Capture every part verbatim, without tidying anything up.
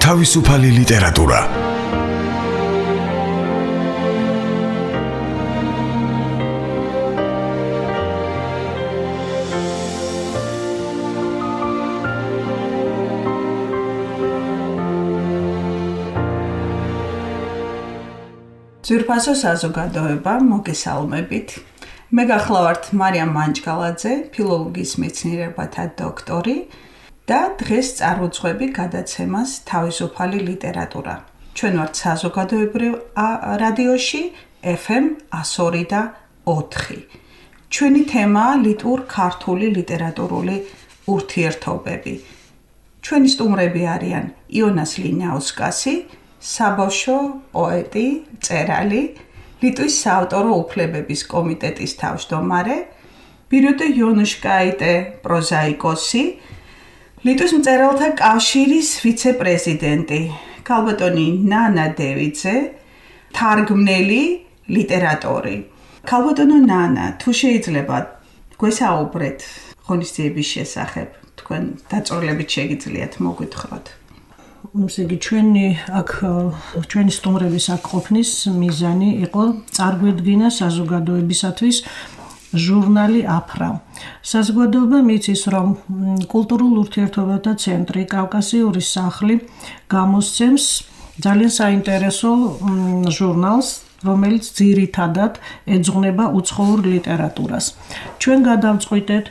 თავისუფალი ლიტერატურა. ძვირფასო საზოგადოება, მოგესალმებით. მე გახლავართ მარიამ მანჯგალაძე, ფილოლოგიის მეცნიერებათა დოქტორი და დღეს წარვუძღვები გადაცემას თავისუფალი ლიტერატურა. ჩვენ ვართ საზოგადოებრივ რადიოში ეფ ემ εκατო ორი და ოთხი. ჩვენი თემაა ლიტურ-ქართული ლიტერატურული ურთიერთობები. ჩვენი სტუმრები არიან იონას ლინიაუსკასი, საბავშვო პოეტი, მწერალი, ლიტვის საავტორო უფლებების კომიტეტის თავმჯდომარე, ბირიუტე იონუშკაიტე პროზაიკოსი, ლიტვის მწერალთა კავშირის ვიცე-პრეზიდენტი, ქალბატონი ნანა დევიძე, თარგმნელი, ლიტერატორი. ქალბატონო ნანა, თუ შეიძლება გვესაუბრეთ ღონისძიების შესახებ, თქვენ დაწვრილებით შეგიძლიათ მოგვითხროთ. ესე იგი ჩვენი აქ ჩვენი სტუმრების აქ ყოფნის მიზანი იყო წარგვედგინა საზოგადოებისათვის ჟურნალი აფრა. საზოგადოება მიცის, რომ კულტურულ ურთიერთობათა ცენტრი კავკასიური სახლი გამოსცემს ძალიან საინტერესო ჟურნალს, რომელიც ძირითადად ეძღვნება უცხოურ ლიტერატურას. ჩვენ გადავწყვიტეთ,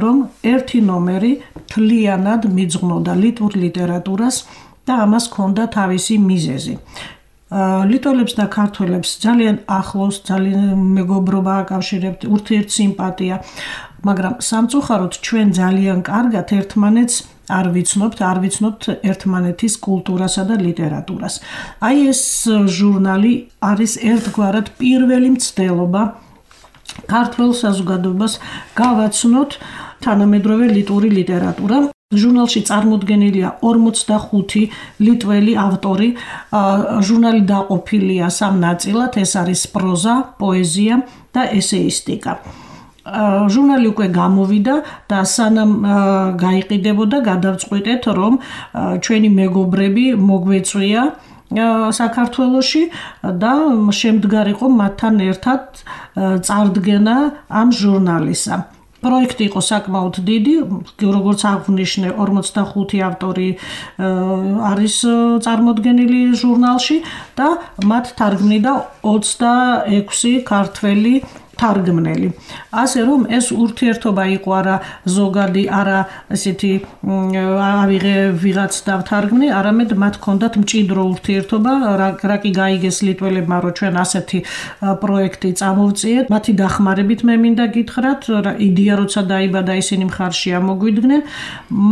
რომ ერთი ნომერი მთლიანად მიძღვნოდა ლიტვურ ლიტერატურას და ამას ჰქონდა თავისი მიზეზი. ლიტველებს და ქართველებს ძალიან ახლოს, ძალიან მეგობრობა აკავშირებთ, ურთიერთსიმპათია, მაგრამ სამწუხაროდ ჩვენ ძალიან კარგად ერთმანეთს არ ვიცნობთ, არ ვიცნობთ ერთმანეთის კულტურასა და ლიტერატურას. აი ეს ჟურნალი არის ერთგვარად პირველი მცდელობა ქართულ საზოგადოებას გავაცნოთ თანამედროვე ლიტვური ლიტერატურა. ჟურნალში წარმოდგენილია ორმოცდახუთი ლიტველი ავტორი. ჟურნალი დაყოფილია სამ ნაწილად, ეს არის პროზა, პოეზია და ესეისტიკა. ჟურნალი უკვე გამოვიდა და სანამ გაიყიდებოდა, გადავწყვიტეთ, რომ ჩვენი მეგობრები მოგვეწვია საქართველოში და შემდგარიყო მათთან ერთად წარდგენა ამ ჟურნალისა. პროექტი იყო საკმაოდ დიდი, როგორც აღვნიშნე, ორმოცდახუთი ავტორი არის წარმოდგენილი ჟურნალში და მათ თარგმნიდა ოცდაექვსი ქართველი თარგმნელი. ასე რომ ეს ურთიერთობა იყო არა ზოგადი, არა ესეთი ავიღე ვიღაც დავთარგმნი, არამედ მათ ჰქონდათ მჭიდრო ურთიერთობა, რა კი გაიგეს ლიტველებმა, რომ ჩვენ ასეთი პროექტი წამოვწიეთ. მათი დახმარებით მე მინდა გითხრათ, იდეა როცა დაიბადა, ისინი მხარში ამოგვიდგნენ.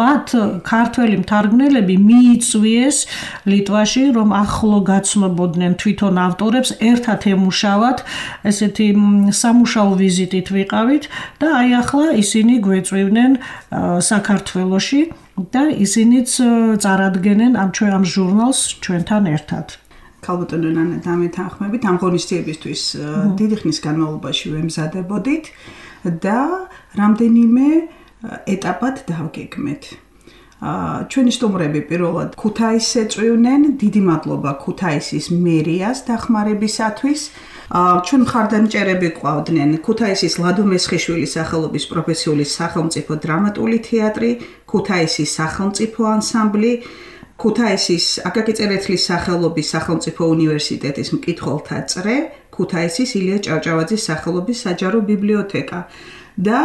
მათ ქართველი მთარგმნელები მიიწვიეს ლიტვაში, რომ ახლო გაცნობოდნენ თვითონ ავტორებს, ერთად ემუშავათ, ესეთი სამუშაო ვიზიტით ვიყავით და აი ახლა ისინი გვეწვივნენ საქართველოში და ისინიც წარადგენენ ამ ჩვენ ამ ჟურნალს ჩვენთან ერთად. ქალბატონო ნანა, დამეთანხმებით, ამ ღონისძიებისთვის დიდი ხნის განმავლობაში ვემზადებოდით და რამდენიმე ეტაპად დავგეგმეთ. ჩვენი სტუმრები პირველად ქუთაისს ეწვივნენ, დიდი მადლობა ქუთაისის მერიას დახმარებისათვის. ჩვენ მხარდამჭერები გვყავდნენ ქუთაისის ლადო მესხიშვილის სახელობის პროფესიული სახელმწიფო დრამატული თეატრი, ქუთაისის სახელმწიფო ანსამბლი, ქუთაისის აკაკი წერეთლის სახელობის სახელმწიფო უნივერსიტეტის მკითხველთა წრე, ქუთაისის ილია ჭავჭავაძის სახელობის საჯარო ბიბლიოთეკა და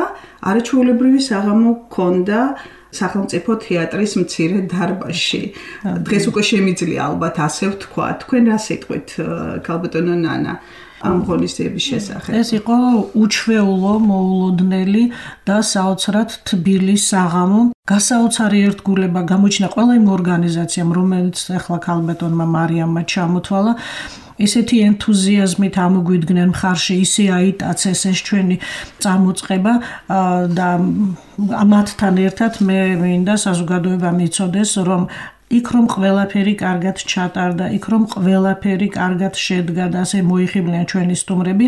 არაჩვეულებრივი საღამო ჰქონდა სახელმწიფო თეატრის მცირე დარბაზში. დღეს უკვე შემიძლია ალბათ ასე ვთქვა. თქვენ რა სიტყვით, ქალბატონო ნანა, ამ ღონისძიების შესახებ? ეს იყო უჩვეულო, მოულოდნელი და საოცრად თბილი საღამო. გასაოცარი ერთგულება გამოჩნდა ყველა იმ ორგანიზაციამ, რომელიც ახლა ქალბატონმა მარიამმა ჩამოთვალა. ისეთი ენთუზიაზმით ამოგვიდგნენ მხარში, ისე აიტაცეს ეს ჩვენი წამოწყება და მათთან ერთად მე მინდა საზოგადოება მიცოდეს, რომ იქ რომ ყველაფერი კარგად ჩატარდა, იქ რომ ყველაფერი კარგად შედგა და ასე მოიხიბლიან ჩვენი სტუმრები,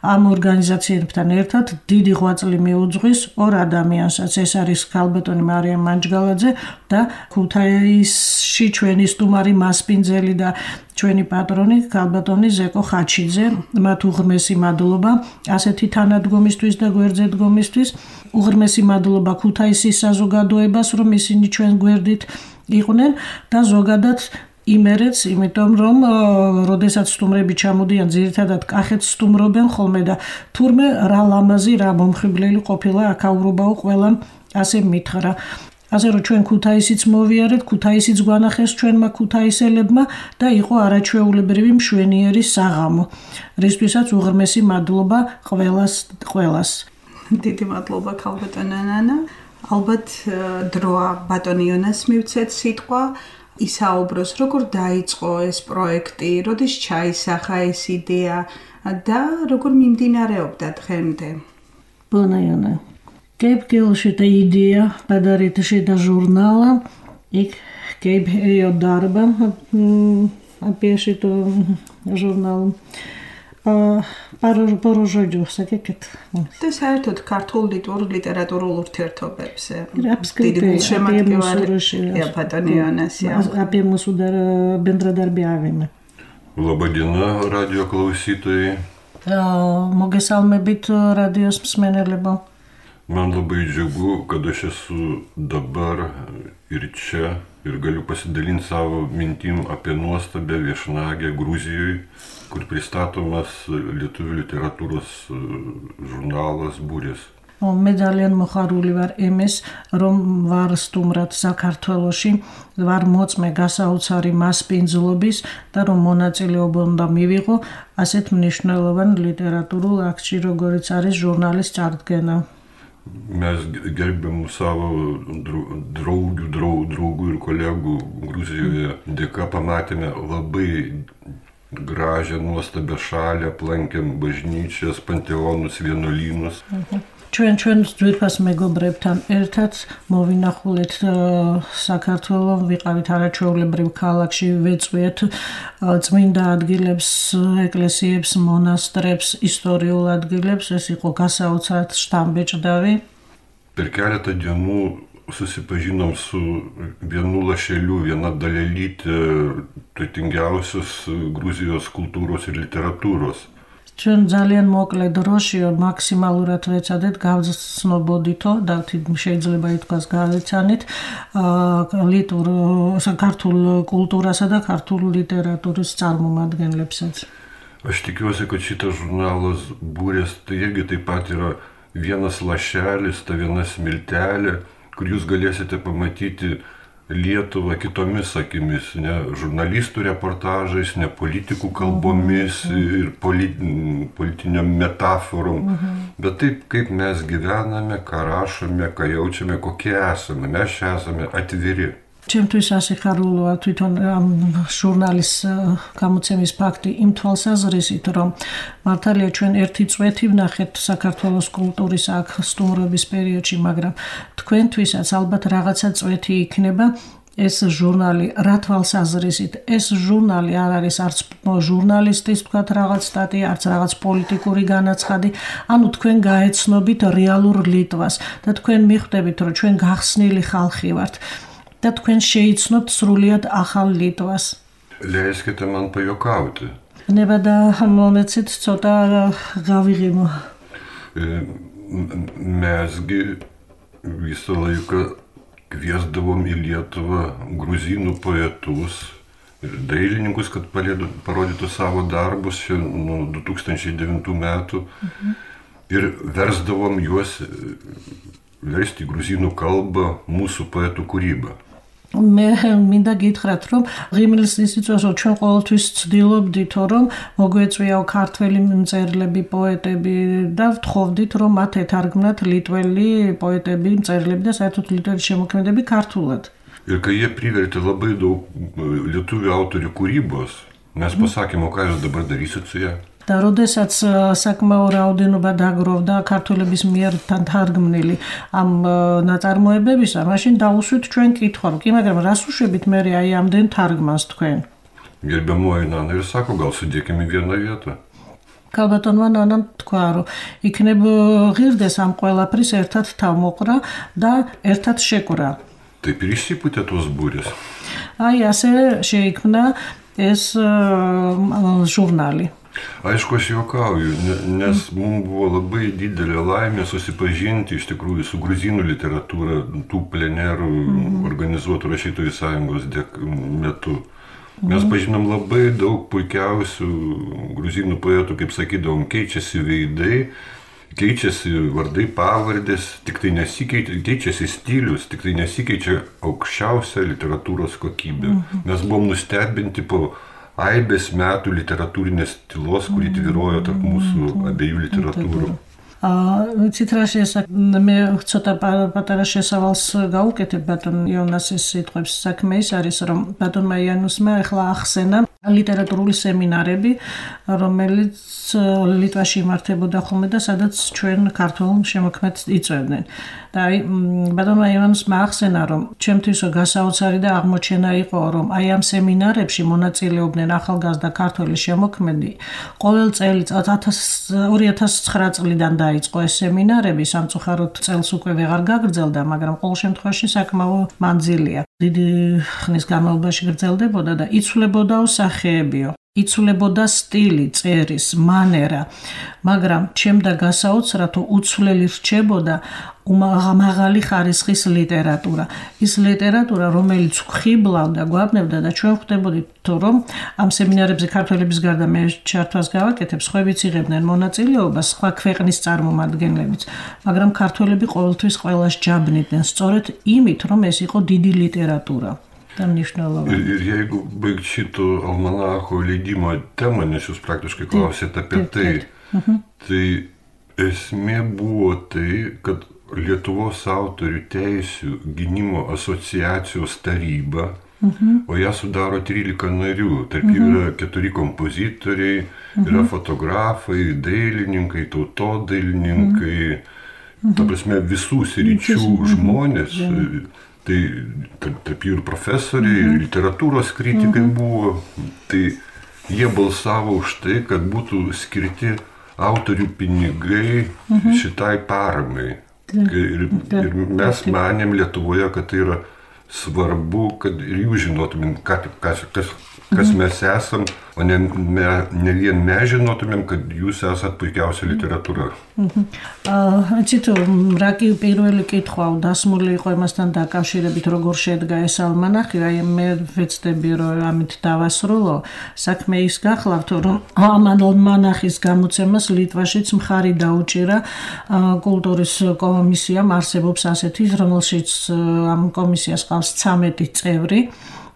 ამ ორგანიზაციებთან ერთად დიდი ღვაწლი მიუძღვის ორ ადამიანსაც, ეს არის ქალბატონი მარიამ მანჯგალაძე და ქუთაისში ჩვენი სტუმარი მასპინძელი და ჩვენი პატრონი ქალბატონი ზეკო ხაჩიძე, მათ უღრმესი მადლობა ასეთი თანადგომისთვის და გვერდზედგომისთვის, უღრმესი მადლობა ქუთაისის საზოგადოებას, რომ ისინი ჩვენ გვერდით იყვნენ და ზოგადად იმერეც, იმიტომ რომ როდესაც სტუმრები ჩამოდიან, ძირითადად კახეთს სტუმრობენ ხოლმე და თურმე რა ლამაზი, რა მომხიბლელი ყოფილა აქაურობაო ყველამ ასე მითხრა. ასე რომ ჩვენ ქუთაისიც მოვიარეთ, ქუთაისიც გვანახეს ჩვენმა ქუთაისელებმა და იყო არაჩვეულებრივი მშვენიერი საღამო. რისთვისაც უღრმესი მადლობა ყველას ყველას. დიდი მადლობა ქალბატონო ნანა. ალბათ დროა ბატონი იონას მივცეთ სიტყვა, ისაუბროს როგორ დაიწყო ეს პროექტი, როდის ჩაისახა ეს იდეა და როგორ მიმდინარეობდა დღემდე. Bună Iona. Kaip kilo šitą idėją padaryti šitą žurnalą, ik kaip ėjo darbą apie šitą žurnalą. Пару žodžių, sakykit. Tai საერთოდ ქართულ ლიტერატურულ ურთიერთობებზე. Apskritai apie mūsų rašymus. Apie mūsų bendradarbiavimą. Labą dieną, radijo klausytojai. Mogėsalmebit radijos მსმენელებო. Man labai džiugu, kad aš esu dabar ir čia ir galiu pasidalinti savo mintim apie nuostabę viešnagę Gruzijoje, kur pristatomas lietuvių literatūros žurnalas Burės. მე ძალიან მოხარული ვარ იმის, რომ ვარ სტუმრად საქართველოში, ვარ მოწმე გასაოცარი მასპინძლობის და რომ მონაწილეობა უნდა მივიღო ასეთ მნიშვნელოვან ლიტერატურულ აქტში, როგორიც არის ჟურნალის წარდგენა. Mes gerbiamų savo draugių, draugų ir kolegų Gruzijoje dėka pamatėme labai gražią, nuostabią šalį, aplankėm bažnyčias, panteonus, vienuolynus. ჩვენ ჩვენ ძვირფას მეგობრებთან ერთად მოვინახულეთ საქართველო, ვიყავით არაჩვეულებრივ ქალაქში, ვეწვიეთ წმინდა ადგილებს, ეკლესიებს, მონასტრებს, ისტორიულ ადგილებს, ეს იყო გასაოცრად შთამბეჭდავი. Per keletą dienų susipažinom su vienu lašeliu, viena dalelytė turtingiausios Gruzijos kultūros ir literatūros. ჩვენ ძალიან მოკლე დროში მაქსიმალურად ვეცადეთ გავცნობოდითო და შეიძლება ითქვას გავეცანით ლიტურ საქართველ კულტურასა და ქართულ ლიტერატურის წარმომადგენლებსაც. Aš tikiuosi, kad šitas žurnalas Burės tai irgi taip pat yra vienas lašelis, ta viena smiltelė, kur jūs galėsite pamatyti Lietuvą kitomis akimis, ne žurnalistų reportažais, ne politikų kalbomis ir politiniam metaforom, bet taip, kaip mes gyvename, ką rašome, ką jaučiame, kokie esame, mes čia esame atviri. ჩემთვის ასიხარულოა თვითონ ამ ჟურნალის გამოცემის ფაქტი იმ თვალსაზრისით, რომ მართალია ჩვენ ერთი წვეთი ვნახეთ საქართველოს კულტურის აქ სტუმრობის პერიოდში, მაგრამ თქვენთვისაც ალბათ რაღაცა წვეთი იქნება ეს ჟურნალი რა თვალსაზრისით. ეს ჟურნალი არ არის არც ჟურნალისტის თქვათ რაღაც სტატია, არც რაღაც პოლიტიკური განაცხადი, ანუ თქვენ გაეცნობით რეალურ ლიტვას და თქვენ მიხვდებით, რომ ჩვენ გახსნილი ხალხი ვართ. და თქვენ შეიცნობთ სრულიად ახალ ლიტვას. Leiskite man pajuokauti. ნება და მომეცით ცოტა გავიღიმო. Mesgi visą laiką kviesdavom į Lietuvą gruzinų poetus ir dailininkus, kad parodytų savo darbus nuo du tūkstančiai devintų metų ir versdavom juos versti į gruzinų kalbą mūsų poetų kūrybą. მე მინდა გითხრათ, რომ ღიმილს ისიცოს ჩვენ ყოველთვის ვცდილობდით, რომ მოგვეწვიაო ქართველი მწერლები, პოეტები და ვთხოვდით, რომ მათ ეთარგმნათ ლიტველი პოეტები, მწერლები და საერთოდ ლიტველი შემოქმედები ქართულად. Ir kai jie privertė labai daug lietuvių autorių kūrybos, mes pasakėme, o ką jūs dabar darysit su ja? და როდესაც საკმაო რაოდენობა დაგროვდა ქართველების მიერ თარგმნილი ამ ნაწარმოებებისა, მაშინ დაუსვით ჩვენ კითხვა, რომ კი, მაგრამ რას უშვებით მე აი ამდენ თარგმანს თქვენ? Gerbiamoji Nana ir sako, gal sudėkime į vieną vietą. Kalbėtonმა Nanam თქვა, რომ იქნებ ღირდეს ამ ყველაფრის ერთად თავმოყრა და ერთად შეკვრა. Taip ir išsipūtė tos būrės. Ai, ასე შეიქმნა ეს žurnāli. Aišku, aš juokauju, nes mums buvo labai didelė laimė susipažinti iš tikrųjų su gruzinų literatūra, tų plenerų mm-hmm. organizuotų rašytojų sąjungos metu. Mes pažinom labai daug puikiausių gruzinų poetų, kaip sakydavom, keičiasi veidai, keičiasi vardai, pavardės, tik tai nesikeičia, keičiasi stilius, tik tai nesikeičia aukščiausia literatūros kokybė. Mm-hmm. Mes buvom nustebinti po aibės metų literatūrinės tylos, kuri tvyrojo tarp mūsų abiejų literatūrų. Ვიცით რა შესაძლოა მე ცოტა პატარა შესავალს გავუკეთებ ბატონ იონასის სიტყვებს საქმე ის არის რომ ბატონმა იანუსმა ახლა ახსენა ლიტერატურული სემინარები რომელიც ლიტვაში იმართებოდა ხოლმე და სადაც ჩვენ ქართულ შემოქმედს იწვევდნენ და აი ბატონმა იანუსმა ახსენა რომ ჩემთვისო გასაოცარი და აღმოჩენა იყო რომ აი ამ სემინარებში მონაწილეობდნენ ახალგაზრდა ქართველი შემოქმედი ყოველ წელიწადს ორი ათას ცხრა წლიდან დაიწყო ეს სემინარები სამწუხაროდ წელს უკვე ვეღარ გაგრძელდა მაგრამ ყოველ შემთხვევაში საკმაო მანძილია დიდი ხნის განმავლობაში გრძელდებოდა და იცვლებოდაო სახეებიო იცვლებოდა სტილი, წერის, მანერა, მაგრამ ჩემდა გასაოცრად უცვლელი რჩებოდა მაღალი ხარისხის ლიტერატურა. ის ლიტერატურა, რომელიც ხიბლავდა, გვაბნევდა და ჩვენ ხვდებოდით, რომ ამ სემინარებზე ქართველების გარდა მე ჩართვას გავაკეთებ, სხვაებიც იღებდნენ მონაწილეობას, სხვა ქვეყნის წარმომადგენლებიც, მაგრამ ქართველები ყოველთვის ყველას ჯაბნიდნენ, სწორედ იმით, რომ ეს იყო დიდი ლიტერატურა. Ir, ir jeigu baigt šito almanacho leidimo temą, nes jūs praktiškai klausėte apie tai, tai esmė buvo tai, kad Lietuvos autorių teisių gynimo asociacijos taryba, o ją sudaro trylika narių, tarp jų yra keturi kompozitoriai, yra fotografai, dailininkai, tautodailininkai, ta prasme visų sričių žmonės. Tai tarp jų ir profesoriai, ir literatūros kritikai buvo. Tai jie balsavo už tai, kad būtų skirti autorių pinigai šitai paramai. Ir, ir mes manėm Lietuvoje, kad tai yra svarbu, kad ir jūs žinotumėm, kas, kas, kas mes esam, o ne, me, ne vien mes žinotumėm, kad jūs esat puikiausia literatūra. Cito, რა კი პირველი კითხვა დასმული იყო იმასთან დაკავშირებით, როგორ შედგა ეს ალმანახი, აი მე ვეცდები, რომ ამით დავასრულო. საქმე ის გახლავთ, რომ ამ ალმანახის გამოცემას ლიტვაშიც მხარი დაუჭირა კულტურის კომისიამ, არსებობს ასეთი, რომელშიც ამ კომისიას ყავს ცამეტი წევრი.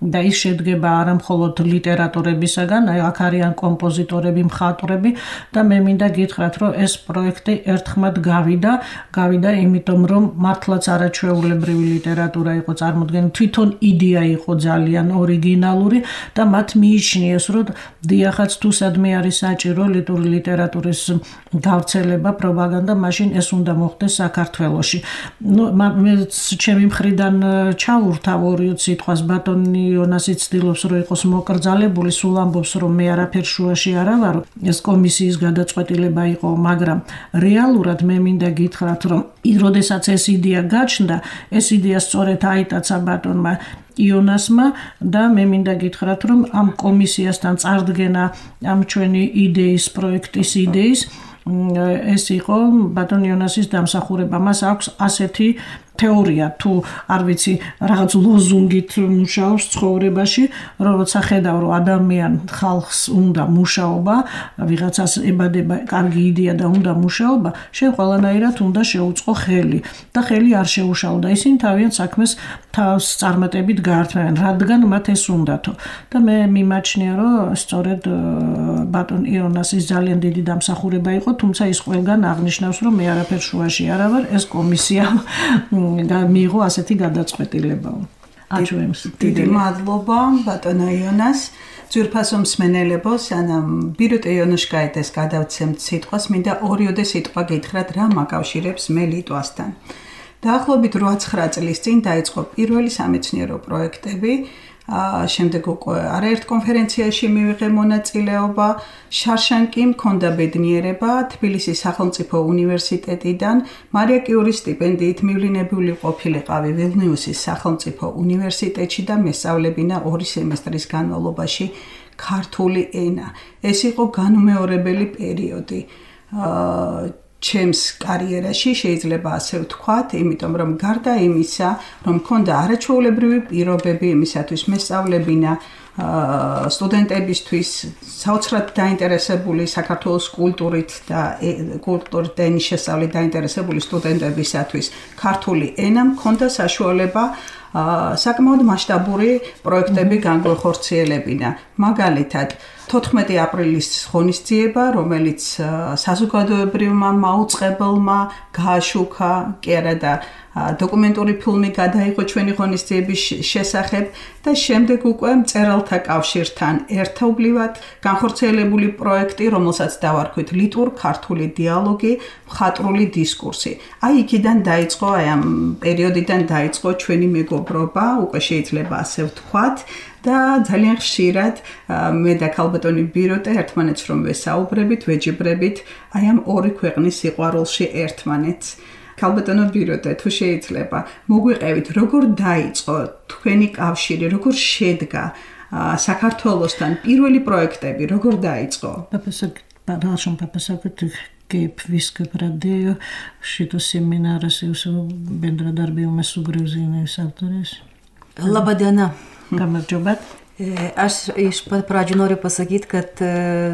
და ის შედგება არა მხოლოდ ლიტერატორებისაგან, აი აქ არიან კომპოზიტორები, მხატვრები და მე მინდა გითხრათ, რომ ეს პროექტი ერთხმად გავიდა, გავიდა იმიტომ, რომ მართლაც არაჩვეულებრივი ლიტერატურა იყო წარმოდგენილი, თვითონ იდეა იყო ძალიან ორიგინალური და მათ მიიჩნიეს, რომ დიახაც თუ სადმე არის საჭირო ლიტერატურის გავრცელება, პროპაგანდა, მაშინ ეს უნდა მოხდეს საქართველოში. ნუ მე ჩემი მხრიდან ჩავურთავ ორი სიტყვას ბატონი იონასი ცდილობს, რომ იყოს მოკრძალებული, სულ ამბობს, რომ მე არაფერ შუაში არა ვარ, ეს კომისიის გადაწყვეტილება იყო, მაგრამ რეალურად მე მინდა გითხრათ, რომ როდესაც ეს იდეა გაჩნდა, ეს იდეა სწორედ აიტაცა ბატონმა იონასმა და მე მინდა გითხრათ, რომ ამ კომისიასთან წარდგენა ამ ჩვენი იდეის, პროექტის იდეის ეს იყო ბატონ იონასის დამსახურება. მას აქვს ასეთი თეორია, თუ არ ვიცი, რაღაც ლოზუნგით მუშაობს ცხოვრებაში, რომ როცა ხედავ, რომ ადამიან ხალხს უნდა მუშაობა, ვიღაცას ებადება კარგი იდეა და უნდა მუშაობა, შენ ყველანაირად უნდა შეუწყო ხელი და ხელი არ შეუშალო და ისინი თავიანთ საქმეს თავს წარმატებით გაართმევენ, რადგან მათ ეს უნდათო. და მე მიმაჩნია, რომ სწორედ ბატონ იონასის ძალიან დიდი დამსახურება იყო, თუმცა ის ყველგან აღნიშნავს, რომ მე არაფერ შუაში არა ვარ, ეს კომისია მიიღო ასეთი გადაწყვეტილება. აჩვენებს. დიდი მადლობა ბატონო იონას. ძვირფასო მსმენელებო, სანამ ბირუტე იონუშკაიტეს გადავცემთ სიტყვას, მინდა ორიოდე სიტყვა გითხრათ, რა მაკავშირებს მე ლიტვასთან. დაახლოებით რვა-ცხრა წლის წინ დაიწყო პირველი სამეცნიერო პროექტები, შემდეგ უკვე არაერთ კონფერენციაში მივიღე მონაწილეობა, შარშან კი მქონდა ბედნიერება თბილისის სახელმწიფო უნივერსიტეტიდან მარია კიურის სტიპენდიით მივლინებული ყოფილიყავი ვილნიუსის სახელმწიფო უნივერსიტეტში და მესწავლებინა ორი სემესტრის განმავლობაში ქართული ენა. ეს იყო განუმეორებელი პერიოდი ჩემს კარიერაში, შეიძლება ასე ვთქვათ, იმიტომ რომ გარდა იმისა, რომ მქონდა არაჩვეულებრივი პირობები იმისათვის მესწავლებინა სტუდენტებისთვის, საოცრად დაინტერესებული საქართველოს კულტურით და კულტურით და ენის შესწავლით დაინტერესებული სტუდენტებისათვის ქართული ენა მქონდა საშუალება საკმაოდ მასშტაბური პროექტები განგვეხორციელებინა. მაგალითად, თოთხმეტი აპრილის ღონისძიება, რომელიც საზოგადოებრივმა მაუწყებელმა გააშუქა, კი არა და დოკუმენტური ფილმი გადაიღო ჩვენი ღონისძიების შესახებ და შემდეგ უკვე მწერალთა კავშირთან ერთობლივად განხორციელებული პროექტი, რომელსაც დავარქვით ლიტვურ-ქართული დიალოგი, მხატვრული დისკურსი. აი იქიდან დაიწყო, აი ამ პერიოდიდან დაიწყო ჩვენი მეგობრობა, უკვე შეიძლება ასე ვთქვათ. და ძალიან ხშირად მე და ქალბატონი ბირუტე ერთმანეთს რომ ვესაუბრებით, ვეჯიბრებით, აი ამ ორი ქვეყნის სიყვარულში ერთმანეთს. ქალბატონო ბირუტე, თუ შეიძლება, მოგვიყევით, როგორ დაიწყო თქვენი კავშირი, როგორ შედგა საქართველოსთან პირველი პროექტები, როგორ დაიწყო? Продолжим попасакать kaip viską pradėjo šitos seminaras jūsų bendradarbiavimas su Gruzinais autoriais. Labą dieną. Kamerdžiobat. Aš iš pat pradžių noriu pasakyti, kad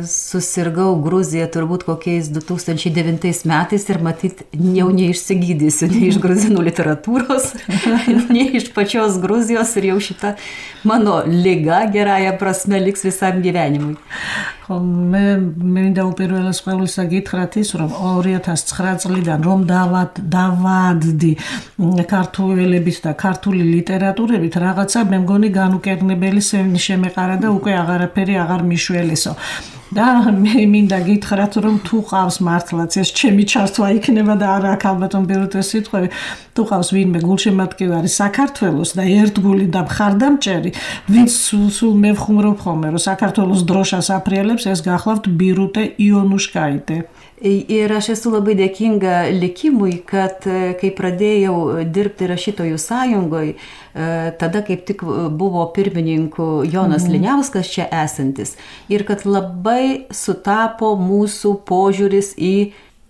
susirgau Gruziją turbūt kokiais du tūkstančiai devintais metais ir matyt jau neišsigydysiu nei iš gruzinų literatūros, nei iš pačios Gruzijos ir jau šita mano liga gerąją prasme liks visam gyvenimui. მე მინდა უპირველეს ყოვლისა გითხრათ ის, რომ ორი ათას ცხრა წლიდან რომ დავადდი ქართულებით და ქართული ლიტერატურებით რაღაცა მე მგონი განუკერნებელი შემეყარა და უკვე აღარაფერი აღარ მიშველესო. და მე მინდა გითხრათ, რომ თუ ყავს მართლაც ეს ჩემი ჩართვა იქნება და არა ქალბატონ ბირუტეს სიტყვები, თუ ყავს ვინმე გულშემატკივარი საქართველოს და ერთგული და მხარდამჭერი, ვინც სულ მე ვხუმრობ ხოლმე, რომ საქართველოს დროშას აფრიალებს, ეს გახლავთ ბირუტე იონუშკაitė. Ir aš esu labai dėkinga likimui, kad kai pradėjau dirbti rašytojų sąjungoje, tada kaip tik buvo pirmininku Jonas Liniauskas čia esantis. Ir kad labai sutapo mūsų požiūris į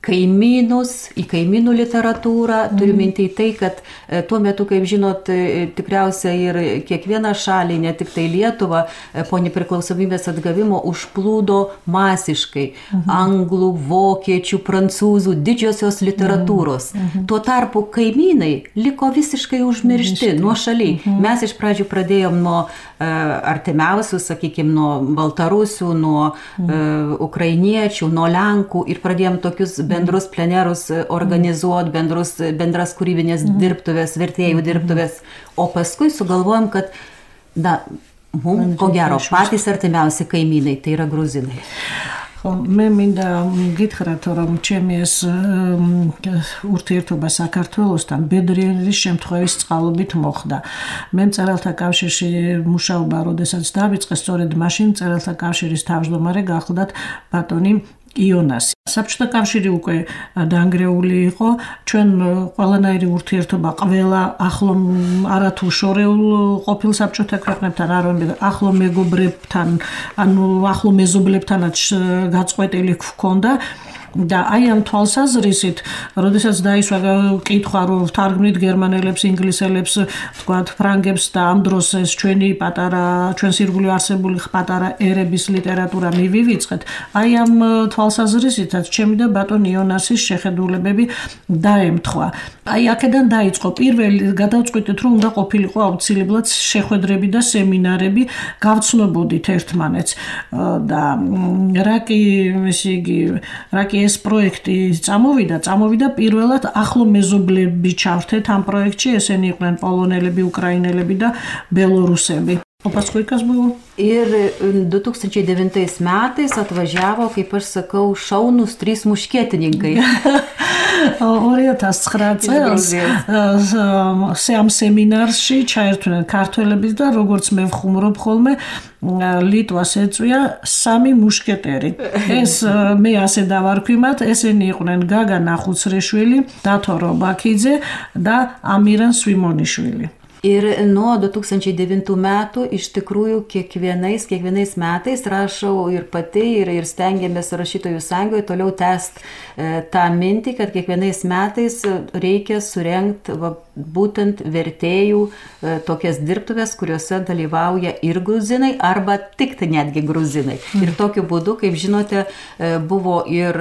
kaimynus, į kaimynų literatūrą. Turiu minti į tai, kad tuo metu, kaip žinot, tikriausiai ir kiekvieną šalį, ne tik tai Lietuvą, po nepriklausomybės atgavimo užplūdo masiškai anglų, vokiečių, prancūzų didžiosios literatūros. Tuo tarpu kaimynai liko visiškai užmiršti, nuošaliai. Mes iš pradžių pradėjom nuo artimiausių, sakykime, nuo baltarusių, nuo ukrainiečių, nuo lenkų ir pradėjom tokius bendrus plenerus organizuoti, bendrus, bendras kūrybinės dirbtuvės, vertėjų dirbtuvės, o paskui sugalvojom, kad na, mums ko gero patys artimiausi kaimynai, tai yra gruzinai. მე მინდა გითხრათ, რომ ჩემი ეს ურთიერთობა საქართველოსთან ბედრიელის შემთხვევის წყალობით მოხდა. მე მწერალთა კავშირში მუშაობა, როდესაც დავიწყე, სწორედ მაშინ მწერალთა კავშირის თავმჯდომარე გახლდათ ბატონი იონასი. საბჭოთა კავშირი უკვე დანგრეული იყო, ჩვენ ყველანაირი ურთიერთობა ყველა ახლო არათუ შორეულ ყოფილ საბჭოთა ქვეყნებთან, არამედ ახლო მეგობრებთან, ანუ ახლო მეზობლებთანაც გაწყვეტილი ჰქონდა. და აი ამ თვალსაზრისით, როდესაც დაისვა კითხვა, რომ ვთარგმნით გერმანელებს, ინგლისელებს, თქვათ, ფრანგებს და ამ დროს ეს ჩვენი პატარა, ჩვენს ირგვლივ არსებული პატარა ერების ლიტერატურა მივივიწყეთ, აი ამ თვალსაზრისითაც ჩემი და ბატონ იონასის შეხედულებები დაემთხვა. აი აქედან დაიწყო პირველი გადავწყვიტეთ, რომ უნდა ყოფილიყო აუცილებლად შეხვედრები და სემინარები, გავცნობოდით ერთმანეთს და რა კი, ესე იგი, რა კი ეს პროექტი წამოვიდა, წამოვიდა პირველად ახლო მეზობლები чаврთეთ ამ პროექტში, ესენი იყვნენ პოლონელები, უკრაინელები და ბელორუსები. O paskui kas buvo? Ir du tūkstančiai devintais metais atvažiavo, kaip aš sakau, šaunūs trys muškietininkai. ორი ათას ცხრა წელს ამ სემინარში ჩაერთვნენ ქართველები და როგორც მე ვხუმრობ ხოლმე ლიტვას ეწვია სამი მუშკეტერი. ეს მე ასე დავარქვი მათ, ესენი იყვნენ გაგა ნახუცრიშვილი, დათო რობაქიძე და ამირან სვიმონიშვილი. Ir nuo du tūkstančiai devintų metų iš tikrųjų kiekvienais, kiekvienais metais rašau ir pati, ir, ir stengiamės rašytojų sąjungoje toliau tęsti e, tą mintį, kad kiekvienais metais reikia surengti va, būtent vertėjų e, tokias dirbtuves, kuriuose dalyvauja ir gruzinai, arba tik tai netgi gruzinai. Mm. Ir tokiu būdu, kaip žinote, e, buvo ir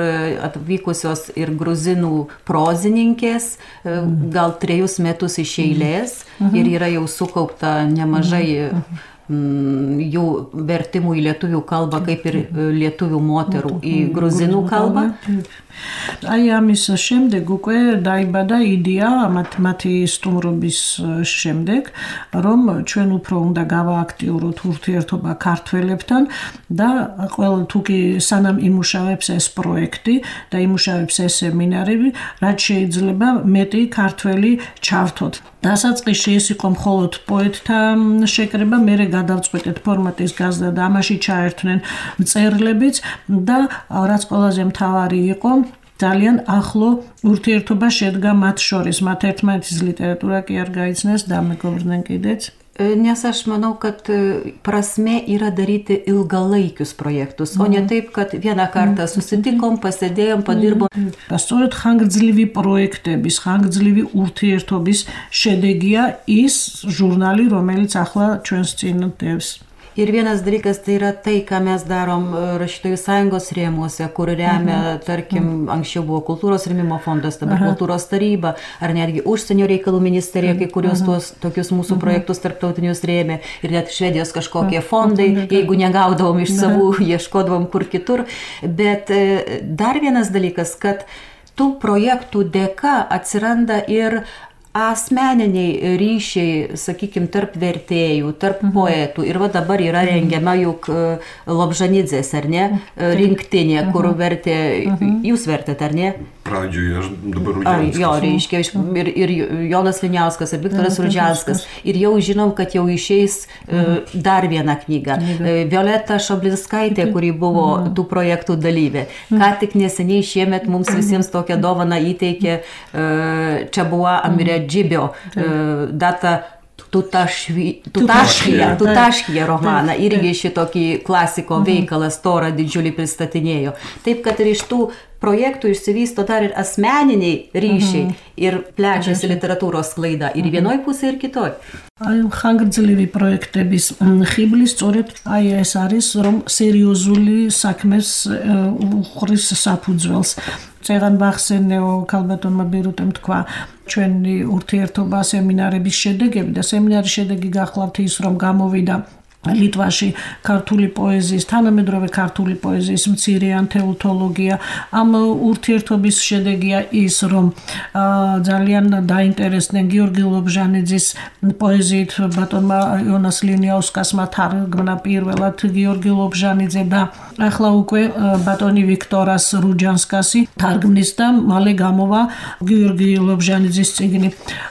atvykusios ir gruzinų prozininkės, e, gal trejus metus iš eilės. Mm. Ir yra jau sukaupta nemažai jų vertimų į lietuvių kalbą, kaip ir lietuvių moterų į gruzinų kalbą. Ai ამის შემდეგ უკვე დაიბადა იდეა მათი სტუმრობის შემდეგ, რომ ჩვენ უფრო უნდა გავააქტიუროთ ურთიერთობა ქართველებთან და ყველა თუკი სანამ იმუშავებს ეს პროექტი და იმუშავებს ეს სემინარები, რაც შეიძლება მეტი ქართველი ჩავთოთ. დასაწყისში ეს იყო მხოლოდ პოეტთა შეკრება, მერე გადავწყვეტეთ ფორმატის გაზრდა და ამაში ჩაერთვნენ მწერლებიც და რაც ყველაზე მთავარი იყო, ძალიან ახლო ურთიერთობა შედგა მათ შორის, მათ ერთმანეთის ლიტერატურა კი არ გაიცნეს და მეგობრდნენ კიდეც. Nes aš manau, kad prasme yra daryti ilgalaikius projektus, o ne taip, kad vieną kartą susitikom, pasėdėjom, padirbom. Სწორედ ხანგრძლივი პროექტების, ხანგრძლივი ურთიერთობის შედეგია ის ჟურნალი, რომელიც ახლა ჩვენს წინ დევს. Ir vienas dalykas tai yra tai, ką mes darom rašytojų sąjungos rėmuose, kur remia, mhm. tarkim, anksčiau buvo kultūros rėmimo fondas, dabar mhm. kultūros taryba, ar netgi užsienio reikalų ministerija, kai kurios tuos tokius mūsų mhm. projektus tarptautinius rėmė, ir net Švedijos kažkokie fondai, mhm. jeigu negaudavom iš savų, mhm. ieškodavom kur kitur. Bet dar vienas dalykas, kad tų projektų dėka atsiranda ir asmeniniai ryšiai, sakykime, tarp vertėjų, tarp mhm. poetų. Ir va dabar yra rengiama juk Lobžanidzės, ar ne, rinktinė, mhm. kur vertė, mhm. jūs vertėt, ar ne? Pradžioje aš dabar Rudžianskas. Jo, reiškia, ir, ir Jonas Liniauskas, ir Viktoras Rudžianskas. Ir jau žinom, kad jau išeis mhm. dar viena knyga. Violeta Šoblinskaitė, kuri buvo mhm. tų projektų dalyvė. Ką tik neseniai šiemet mums visiems tokią dovaną įteikė Čabua Amirė Džibio data Tutaškija, Tutaškija romaną, irgi šitokį klasiko veikalą storą didžiulį pristatinėjo. Taip, kad ir iš tų projektų išsivysto dar ir asmeniniai ryšiai ir plečiasi literatūros sklaida ir vienoj pusėje, ir kitoj. ხანგრძლივი პროექტების ხიბლი სწორედ აი ეს არის, რომ სერიოზული საქმეს უხრის საფუძველს. წეგან ვახსენეო ქალბატონმა ბირუტემ თქვა ჩვენი ურთიერთობა სემინარების შედეგები და სემინარის შედეგი გახლავთ ის, რომ გამოვიდა ლიტვაში ქართული პოეზიის, თანამედროვე ქართული პოეზიის მცირე ანთოლოგია. ამ ურთიერთობის შედეგია ის, რომ ძალიან დაინტერესდნენ გიორგი ლობჟანიძის პოეზიით ბატონმა იონას ლინიაუსკასმა თარგმნა პირველად გიორგი ლობჟანიძე და ახლა უკვე ბატონი ვიქტორას რუჯანსკასი თარგმნის და მალე გამოვა გიორგი ლობჟანიძის წიგნი.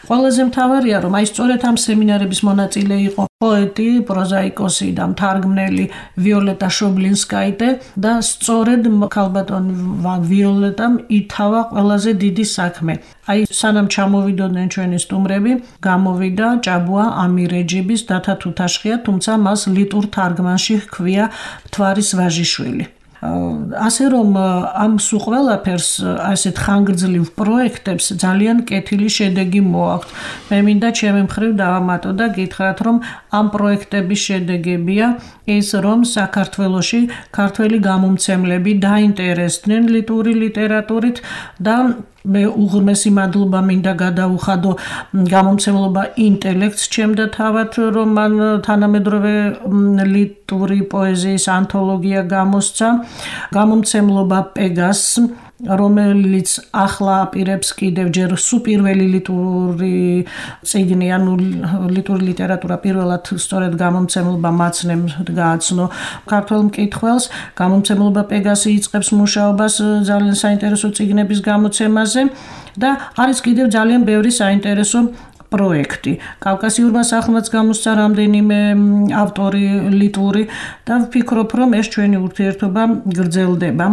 ყველაზე მთავარია, რომ აი სწორედ ამ სემინარების მონაწილე იყო პოეტი, პროზაიკოსი და მთარგმნელი ვიოლეტა შობლინსკაიტე და სწორედ ქალბატონ ვიოლეტამ ითავა ყველაზე დიდი საქმე. აი სანამ ჩამოვიდოდნენ ჩვენი სტუმრები, გამოვიდა ჭაბუა ამირეჯიბის დათა თუთაშხია, თუმცა მას ლიტურ თარგმანში ჰქვია მთვარის ვაჟიშვილი. ასე რომ ამ სულ ყველაფერს ასეთ ხანგრძლივ პროექტებს ძალიან კეთილი შედეგი მოაქვთ. მე მინდა ჩემი მხრივ დავამატო და გითხრათ, რომ ამ პროექტების შედეგებია ის, რომ საქართველოში ქართველი გამომცემლები დაინტერესდნენ ლიტვური ლიტერატურით და მე უღრმესი მადლობა მინდა გადაუხადო გამომცემლობა ინტელექტს, ჩემდა თავად, რომ მან თანამედროვე ლიტვური პოეზიის ანთოლოგია გამოსცა, გამომცემლობა პეგას რომელიც ახლა აპირებს კიდევ ჯერ სუპირველი ლიტურული წიგნი, ანუ ლიტურული ლიტერატურა პირველად სწორედ გამომცემლობა მაცნემ გააცნო ქართველ მკითხველს. გამომცემლობა პეგასი იწყებს მუშაობას ძალიან საინტერესო წიგნების გამოცემაზე და არის კიდევ ძალიან ბევრი საინტერესო პროექტი. კავკასიურმა სახლმაც გამოსცა რამდენიმე ავტორი ლიტური და ვფიქრობ, რომ ეს ჩვენი ურთიერთობა გრძელდება.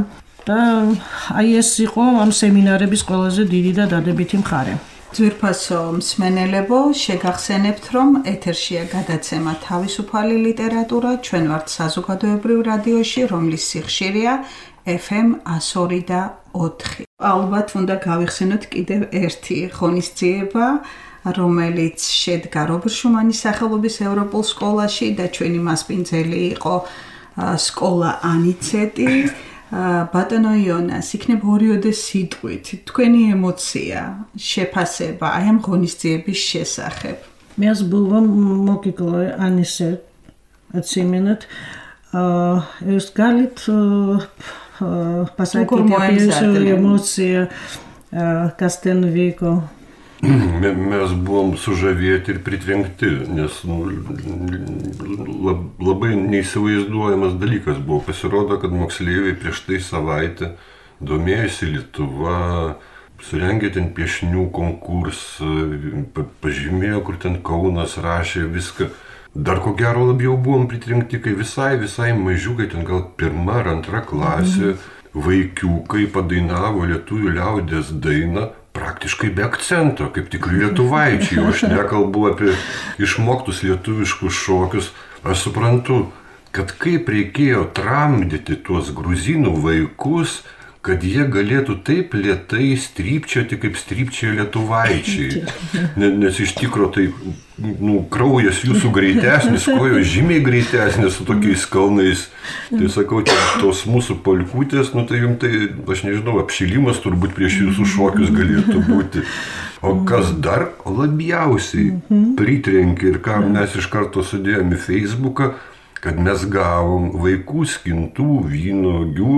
და აი ეს იყო ამ სემინარების ყველაზე დიდი და დადებითი მხარე. ძვირფასო მსმენელებო, შეგახსენებთ, რომ ეთერშია გადაცემა თავისუფალი ლიტერატურა, ჩვენ ვართ საზოგადოებრივ რადიოში, რომლის სიხშირეა ეფ ემ εκατო ორი და ოთხი. ალბათ უნდა გავიხსენოთ კიდევ ერთი ღონისძიება, რომელიც შედგა რობერტ შუმანის სახელობის ევროპულ სკოლაში და ჩვენი მასპინძელი იყო სკოლა ანიცეტი. ბატონო იონას, იქნებ ორიოდე სიტყვით, თქვენი ემოცია, შეფასება აი ამ ღონისძიების შესახებ. Меня было мокикло анисет отсименет. Es galit pasakyti apie jūsų emociją, kas ten vyko. Mes buvom sužavėti ir pritrenkti, nes nu, labai neįsivaizduojamas dalykas buvo. Pasirodo, kad moksleiviai prieš tai savaitę domėjosi Lietuva, surengė ten piešinių konkursą, pažymėjo, kur ten Kaunas rašė viską. Dar ko gero labiau buvom pritrenkti, kai visai, visai mažiukai, ten gal pirma ar antra klasė, vaikiukai padainavo lietuvių liaudies dainą, praktiškai be akcento, kaip tikri lietuvaičiai, o aš nekalbu apie išmoktus lietuviškus šokius. Aš suprantu, kad kaip reikėjo tramdyti tuos gruzinų vaikus, kad jie galėtų taip lėtai strypčioti, kaip strypčioja lietuvaičiai. Nes iš tikro tai nu, kraujas jūsų greitesnis, kojos žymiai greitesnis su tokiais kalnais. Tai sakau, tos mūsų polkutės, nu tai jums tai, aš nežinau, apšilimas turbūt prieš jūsų šokius galėtų būti. O kas dar labiausiai pritrenkė ir ką mes iš karto sudėjome į Facebooką, kad mes gavom vaikų skintų vynuogių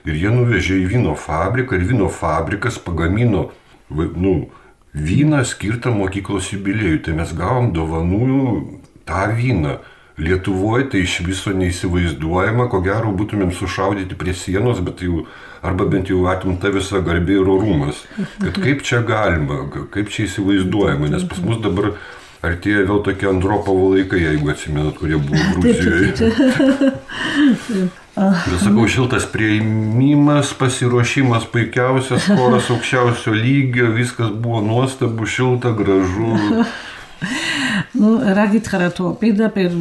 ir jie nuvežė į vyno fabriką ir vyno fabrikas pagamino nu, vyną skirtą mokyklos jubiliejui. Tai mes gavom dovanų tą vyną. Lietuvoje tai iš viso neįsivaizduojama, ko gero būtumėm sušaudyti prie sienos, bet jau, arba bent jau atimta visa garbė ir orumas. Kad kaip čia galima, kaip čia įsivaizduojama, nes pas mus dabar artėja vėl tokie Andropovo laikai, jeigu atsimenat, kurie buvo Gruzijoje. Ir sakau, šiltas prieimimas, pasiruošimas puikiausias, choras aukščiausio lygio, viskas buvo nuostabu, šilta, gražu. Ну, რა გითხრა თუ პირდაპირ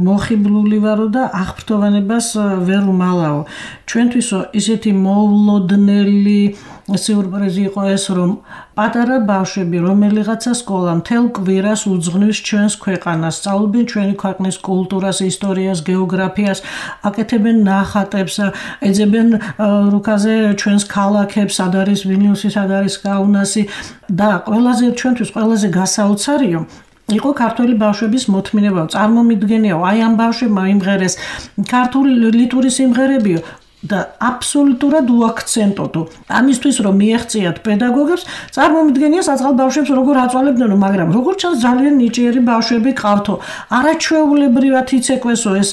მოხიბლული ვარო და აღფრთოვანებას ვერ უმალაო. ჩვენთვისო ისეთი მოულოდნელი სიურპრიზი იყო ეს, რომ პატარა ბავშვები, რომელიღაცა სკოლა მთელ კვირას უძღვნის ჩვენს ქვეყანას, სწავლობენ ჩვენი ქვეყნის კულტურას, ისტორიას, გეოგრაფიას, აკეთებენ ნახატებს, ეძებენ რუკაზე ჩვენს ქალაქებს, სად არის ვილნიუსი, სად არის კაუნასი და ყველაზე ჩვენთვის ყველაზე გასაოცარია იყო ქართული ბავშვების მოთმინება. წარმომიდგენიაო, აი ამ ბავშვებმა იმღერეს ქართული ლიტური სიმღერებიო და აბსოლუტურად უაქცენტოდო. ამისთვის რომ მიეღწიათ პედაგოგებს, წარმომიდგენია საწყალ ბავშვებს როგორ აწვალებდნო, მაგრამ როგორ ჩანს ძალიან ნიჭიერი ბავშვები ყავთო. არაჩვეულებრივად იცეკვესო ეს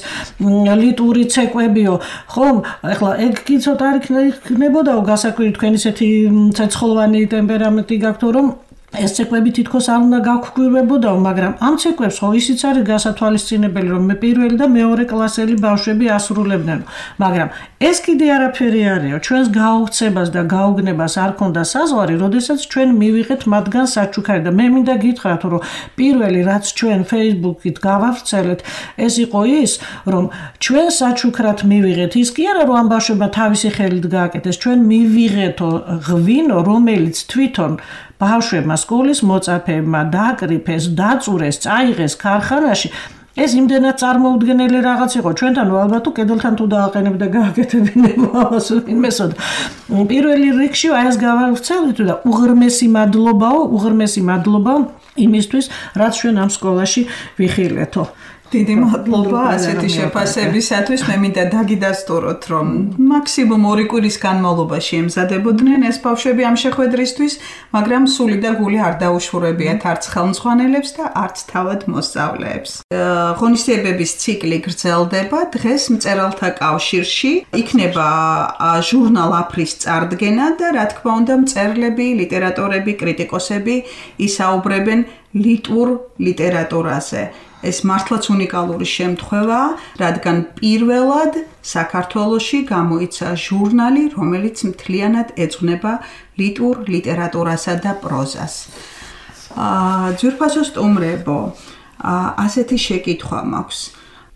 ლიტური ცეკვებიო. ხომ, ეხლა ეგ კი ცოტა არ იქნებოდაო გასაკვირი, თქვენ ისეთი ცეცხლოვანი ტემპერამენტი გაქვთო, რომ ეს ცეკვები თითქოს არ უნდა გაგხვირებოდაო, მაგრამ ამ ცეკვებს ხო ისიც არის გასათვალისწინებელი, რომ პირველი და მეორე კლასელი ბავშვები ასრულებდნენ. მაგრამ ეს კიდე არაფერი არისო, ჩვენს გაუხცებას და გაუგნებას არ ქონდა საზღვარი, როდესაც ჩვენ მივიღეთ მათგან საჩუქარი და მე მინდა გითხრათ, რომ პირველი რაც ჩვენ Facebook-ით გავავრცელეთ, ეს იყო ის, რომ ჩვენ საჩუქრად მივიღეთ, ის კი არა, რომ ამ ბავშვებმა თავისი ხელით გააკეთეს, ჩვენ მივიღეთო ღვინო, რომელიც თვითონ ბავშვებმა სკოლის მოწაფეებმა დააკრიფეს, დაწურეს, წაიღეს ქარხანაში. ეს იმდენად წარმოუდგენელი რაღაც იყო ჩვენთან, ალბათ თუ კედელთან თუ დააყენებ და გააკეთებინებო ამას ვინმესოდ. პირველი რიგში აი ეს გავავრცელეთ და უღრმესი მადლობაო, უღრმესი მადლობა იმისთვის, რაც ჩვენ ამ სკოლაში ვიხილეთო. დიდი მადლობა ასეთი შეფასებისათვის. მე მინდა დაგიდასტუროთ, რომ მაქსიმუმ ორი კვირის განმავლობაში ემზადებოდნენ ეს ბავშვები ამ შეხვედრისთვის, მაგრამ სული და გული არ დაუშურებიათ არც ხელმძღვანელებს და არც თავად მოსწავლეებს. ღონისძიებების ციკლი გრძელდება. დღეს მწერალთა კავშირში იქნება ჟურნალ აფრის წარდგენა და რა თქმა უნდა მწერლები, ლიტერატორები, კრიტიკოსები ისაუბრებენ ლიტვურ ლიტერატურაზე. ეს მართლაც უნიკალური შემთხვევაა, რადგან პირველად საქართველოში გამოიცა ჟურნალი, რომელიც მთლიანად ეძღვნება ლიტვურ ლიტერატურასა და პროზას. ძვირფასო სტუმრებო, ასეთი შეკითხვა მაქვს.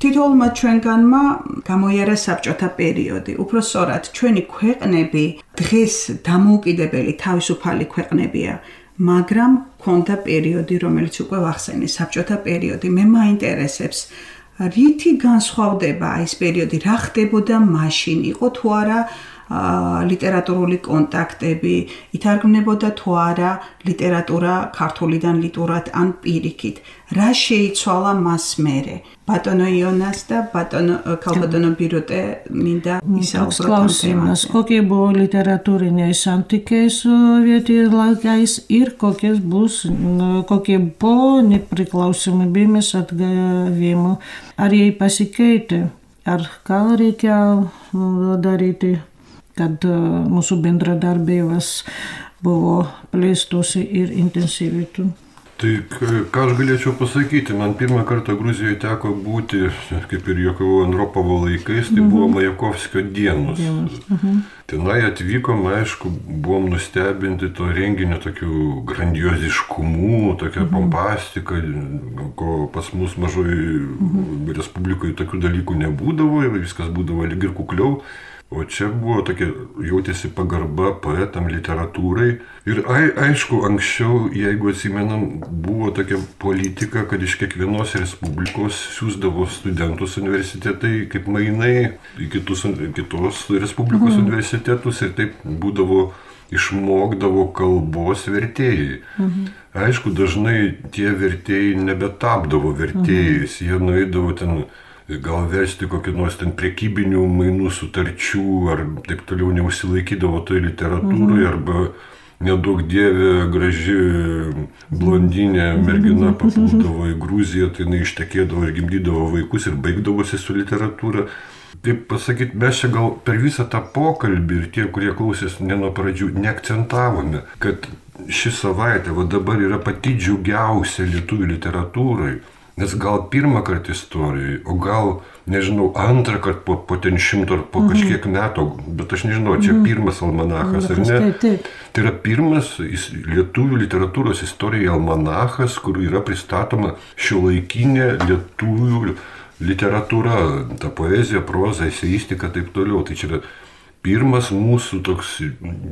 თითოეულმა ჩვენგანმა გამოიარა საბჭოთა პერიოდი. უფრო სწორად, ჩვენი ქვეყნები დღეს დამოუკიდებელი თავისუფალი ქვეყნებია. მაგრამ ქონდა პერიოდი, რომელიც უკვე ვახსენე, საბჭოთა პერიოდი. მე მაინტერესებს, რითი განსხვავდება ეს პერიოდი, რა ხდებოდა მაშინ, იყო თუ არა ლიტერატურული კონტაქტები, ითარგმნებოდა თუ არა ლიტერატურა ქართულიდან ლიტურად ან პირიქით. რა შეიცვალა მას მერე? ბატონო ионас და ბატონო ქალბატონო ბირუტე მინდა ისაუბროთ ამ თემაზე. Сколько было литературы с антикой советилась, ир какие бус, какие по неприклаусимы бимес отгавимо. Арии пасикейте, аркалрикя дарите, kad mūsu bendradarbības buvo plėstosi ir intensyvintų. Tai ką aš galėčiau pasakyti, man pirmą kartą Gruzijoje teko būti, kaip ir Jakovo Andropovo laikais, tai buvo Majakovskio dienos. Tenai atvykom, aišku, buvom nustebinti to renginio tokiu grandioziškumu, tokia pompastika, ko pas mus mažoj Respublikoje tokių dalykų nebūdavo, viskas būdavo lyg ir kukliau. O čia buvo tokia, jautėsi pagarba poetam, literatūrai. Ir ai, aišku, anksčiau, jeigu atsimenam, buvo tokia politika, kad iš kiekvienos respublikos siūsdavo studentus universitetai kaip mainai į kitus, kitos respublikos mhm. universitetus ir taip būdavo, išmokdavo kalbos vertėjai. Mhm. Aišku, dažnai tie vertėjai nebetapdavo vertėjais, mhm. jie nueidavo ten gal versti kokį nors ten prekybinių mainų sutarčių, ar taip toliau neusilaikydavo toje literatūroje, mhm. arba nedaug dievė graži blondinė mergina papuldavo į Gruziją, tai jinai ištekėdavo ir gimdydavo vaikus ir baigdavosi su literatūra. Taip pasakyti, mes čia gal per visą tą pokalbį ir tie, kurie klausės ne nuo pradžių, neakcentavome, kad ši savaitė va dabar yra pati džiugiausia lietuvių literatūrai. Nes gal pirmą kartą istorijoje, o gal, nežinau, antrą kartą po, po ten šimto ar po mhm. kažkiek metų, bet aš nežinau, čia mhm. pirmas almanachas ar ne. Taip, taip. Tai yra pirmas lietuvių literatūros istorijoje almanachas, kur yra pristatoma šiuolaikinė lietuvių literatūra, ta poezija, proza, eseistika, taip toliau. Tai čia yra pirmas mūsų toks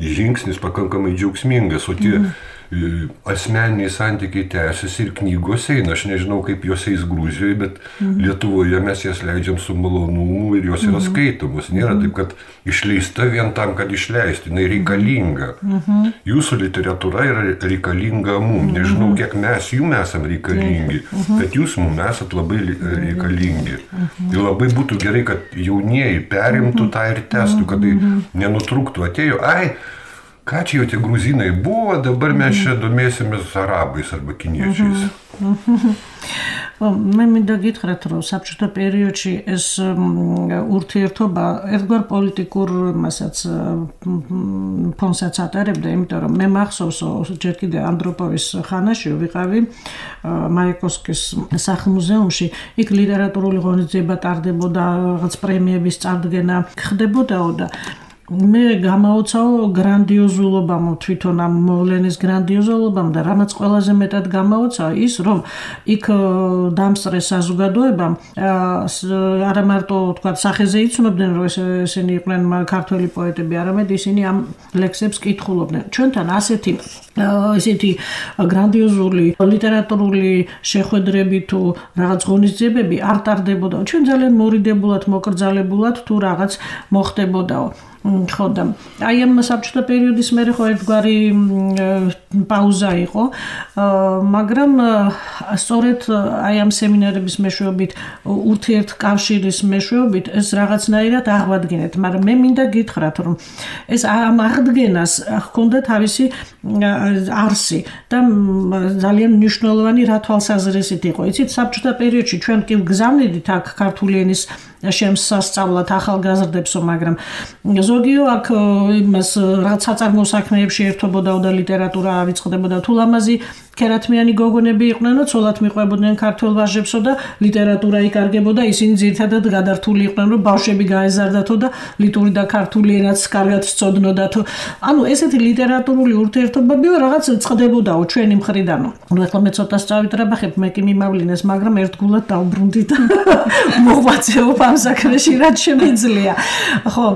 žingsnis pakankamai džiaugsmingas, o tie mhm. asmeniniai santykiai tęsiasi ir knygos eina. Aš nežinau, kaip jos eis Gruzijoje, bet mhm. Lietuvoje mes jas leidžiam su malonumu ir jos yra skaitomos. Nėra taip, kad išleista vien tam, kad išleisti. Jinai reikalinga. Mhm. Jūsų literatūra yra reikalinga mums. Nežinau, kiek mes jums esam reikalingi, mhm. bet jūs mums esat labai reikalingi. Mhm. Ir labai būtų gerai, kad jaunieji perimtų tą ir testų, kad tai nenutrūktų. Atėjo, ai, ką čia jau tie gruzinai buvo, dabar mes čia domėsimės arabais arba kiniečiais. მე მინდა გითხრათ, რომ საბჭოთა პერიოდში ეს ურთიერთობა ერთგვარ პოლიტიკურ მასაც ფონსაც ატარებდა, იმიტომ რომ მე მახსოვს ჯერ კიდე ანდროპოვის ხანაში ვიყავი მაიკოვსკის სახლ-მუზეუმში, იქ ლიტერატურული ღონისძიება ტარდებოდა, რაღაც პრემიების წარდგენა ხდებოდაო და მე გამაოცაო გრანდიოზულობამ, თვითონ ამ მოვლენის გრანდიოზულობამ და რამაც ყველაზე მეტად გამაოცაო ის, რომ იქ დამსწრე საზოგადოებამ არა მარტო თქვა სახეზე იცნობდნენ, რომ ესენი იყვნენ ქართველი პოეტები, არამედ ისინი ამ ლექსებს კითხულობდნენ. ჩვენთან ასეთი ესეთი გრანდიოზული ლიტერატურული შეხვედრები თუ რაღაც ღონისძიებები არ ტარდებოდა. ჩვენ ძალიან მორიდებულად, მოკრძალებულად თუ რაღაც მოხდებოდაო. ხო და აი ამ საბჭოთა პერიოდის მერე ხო ერთგვარი პაუზა იყო, მაგრამ სწორედ აი ამ სემინარების მეშვეობით, ურთიერთკავშირის მეშვეობით ეს რაღაცნაირად აღვადგინეთ, მაგრამ მე მინდა გითხრათ, რომ ეს ამ აღდგენას ჰქონდა თავისი არსი და ძალიან მნიშვნელოვანი რა თვალსაზრისით იყო. იცით, საბჭოთა პერიოდში ჩვენ კი გზავნიდით აქ ქართული ენის შემსასწავლად ახალგაზრდებსო, მაგრამ ზოგიო აქ იმას რაღაც საწარმოო საქმეებში ერთობოდაო და ლიტერატურა ავიწყდებოდა. თუ ლამაზი ქერათმიანი გოგონები იყვნენო, ცოლად მიყვებოდნენ ქართველ ვაჟებსო და ლიტერატურა იკარგებოდა, ისინი ძირითადად გადართული იყვნენ, რომ ბავშვები გაეზარდათო და ლიტური და ქართული ენაც კარგად სწოდნოდათო. ანუ ესეთი ლიტერატურული ურთიერთობებიო რაღაც წყდებოდაო ჩვენი მხრიდანო. ნუ ეხლა მე ცოტა სწავიტრაბახებ, მე კი მიმავლინეს, მაგრამ ერთგულად დავბრუნდი და მოღვაწეობ ამ საქმეში, რაც შემიძლია. ხო,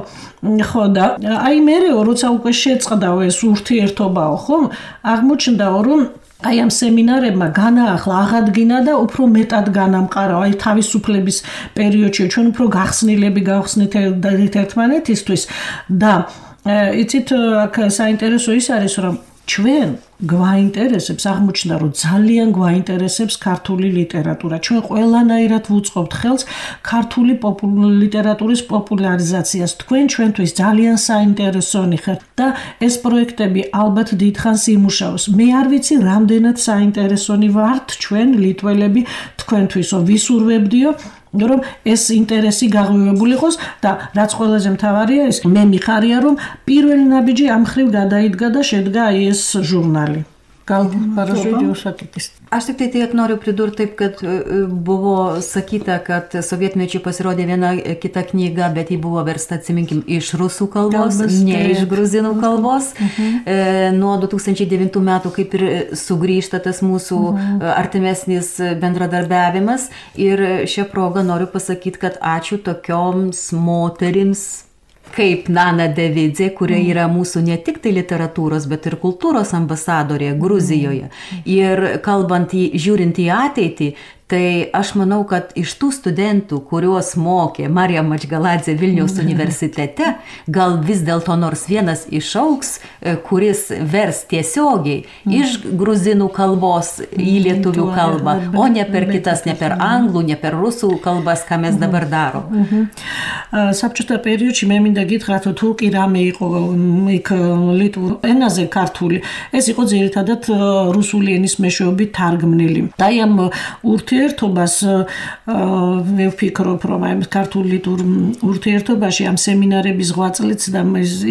ხო და აი მერეო, როცა უკვე შეწყდაო ეს ურთიერთობაო, ხო, აღმოჩნდაო, რომ აი ამ სემინარებმა განაახლა, აღადგინა და უფრო მეტად განამყარა. აი თავისუფლების პერიოდში ჩვენ უფრო გახსნილები გავხსნით ერთმანეთისთვის და იცით, აქ საინტერესო ის არის, რომ ჩვენ გვაინტერესებს, აღმოჩნდა, რომ ძალიან გვაინტერესებს ქართული ლიტერატურა. ჩვენ ყველანაირად ვუწყობთ ხელს ქართული ლიტერატურის პოპულარიზაციას. თქვენ ჩვენთვის ძალიან საინტერესონი ხართ და ეს პროექტები ალბათ დიდხანს იმუშაოს. მე არ ვიცი, რამდენად საინტერესონი ვართ ჩვენ ლიტველები თქვენთვისო, ვისურვებდიო რომ ეს ინტერესი გაღვივებული იყოს და რაც ყველაზე მთავარია ის, მე მიხარია, რომ პირველი ნაბიჯი ამ ხრივ გადაიდგა და შედგა აი ეს ჟურნალი. Aš tik tai tiek noriu pridurti taip, kad buvo sakyta, kad sovietmečiu pasirodė viena kita knyga, bet ji buvo versta, atsiminkim, iš rusų kalbos, ne iš gruzinų kalbos. Nuo du tūkstančiai devintų metų kaip ir sugrįžta tas mūsų artimesnis bendradarbiavimas. Ir šią progą noriu pasakyti, kad ačiū tokioms moterims kaip Nana Devidzė, kuria yra mūsų ne tik tai literatūros, bet ir kultūros ambasadorė Gruzijoje. Ir kalbant, į, žiūrint į ateitį, tai aš manau, kad iš tų studentų, kuriuos mokė Marija Madžgaladze Vilniaus universitete, gal vis dėlto nors vienas išauks, kuris vers tiesiogiai iš gruzinų kalbos į lietuvių kalbą, o ne per kitas, ne per anglų, ne per rusų kalbas, ką mes dabar darom. საბჭოთა პერიოდში მე მინდა გითხრათ, თუ კი რამე იყო იქ ლიტვურ ენაზე ქართული, ეს იყო ძირითადად რუსული ენის მეშვეობით თარგმნილი. და ამ ურთიერთობას მე ვფიქრობ, რომ აი ქართულ ლიტვურ ურთიერთობაში ამ სემინარების ღვაწლიც და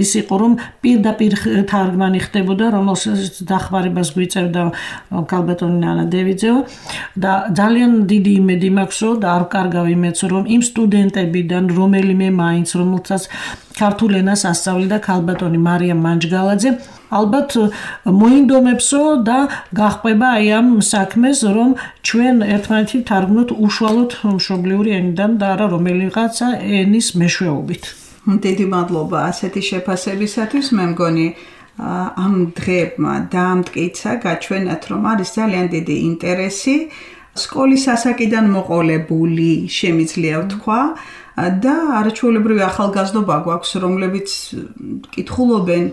ის იყო, რომ პირდაპირ თარგმანი ხდებოდა, რომელსაც დახმარებას გვიწევდა ქალბატონი ნანა დევიძეო და ძალიან დიდი იმედი მაქვსო და არ ვკარგავ იმედს, რომ იმ სტუდენტებიდან რომელიმე მაინც, რომელსაც ქართულ ენას ასწავლიდა ქალბატონი მარია მანჯგალაძე, ალბათ მოინდომებსო და გახვება აი ამ საქმეს, რომ ჩვენ ერთმანეთი თარგმნოთ უშუალოდ მშობლიური ენიდან და არა რომელიღაცა ენის მეშვეობით. დიდი მადლობა ასეთი შეფასებისათვის. მე მგონი ამ დღეებმა დაამტკიცა, გაჩვენათ, რომ არის ძალიან დიდი ინტერესი სკოლის ასაკიდან მოყოლებული, შემიძლია ვთქვა. და არაჩვეულებრივი ახალგაზრდობა გვაქვს, რომლებიც კითხულობენ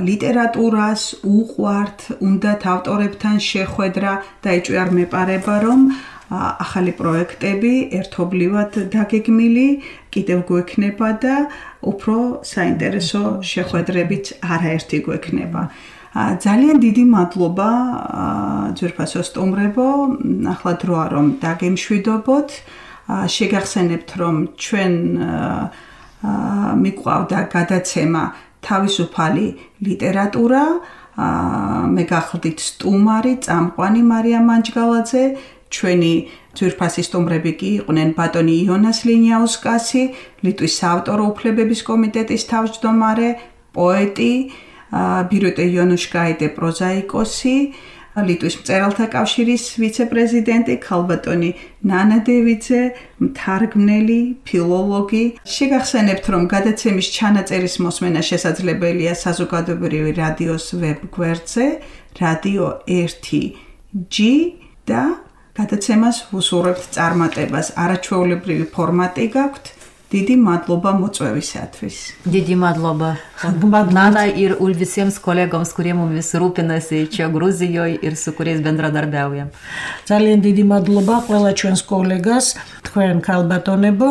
ლიტერატურას, უყვართ, უნდათ ავტორებთან შეხვედრა და ეჭვი არ მეპარება, რომ ახალი პროექტები ერთობლივად დაგეგმილი კიდევ გვექნება და უფრო საინტერესო შეხვედრებიც არაერთი გვექნება. ძალიან დიდი მადლობა ძვირფასო სტუმრებო, ახლა დროა რომ დაგემშვიდობოთ. შეგახსენებთ, რომ ჩვენ მიყვავდა გადაცემა თავისუფალი ლიტერატურა, მე გახლდით სტუმარი, წამყვანი მარია მანჯგალაძე, ჩვენი ძვირფასი სტუმრები კი იყვნენ ბატონი იონას ლინიაუსკასი, ლიტვის საავტორო უფლებების კომიტეტის თავმჯდომარე, პოეტი, ბირუტე იონუშკაიტე პროზაიკოსი, ლიტვის მწერალთა კავშირის ვიცე-პრეზიდენტი ქალბატონი ნანა დევიძე, მთარგმნელი, ფილოლოგი. შეგახსენებთ, რომ გადაცემის ჩანაწერის მოსმენა შესაძლებელია საზოგადოებრივი რადიოს ვებ გვერდზე, რადიო ერთი ჯი და გადაცემას ვუსურვებთ წარმატებას. არაჩვეულებრივი ფორმატი გაქვთ, დიდი მადლობა მოწვევისათვის. დიდი მადლობა. Nana ir ul visiems kolegoms, kurie mumis rūpinasi čia Gruzijoje ir su kuriais bendradarbiaujam. ძალიან დიდი მადლობა ყველა ჩვენს კოლეგას, თქვენ ქალბატონებო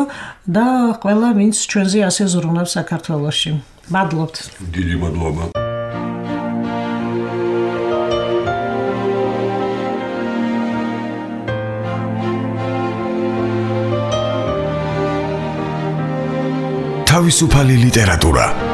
და ყველა ვინც ჩვენზე ასე ზრუნავს საქართველოში. მადლობთ. დიდი მადლობა. თავისუფალი ლიტერატურა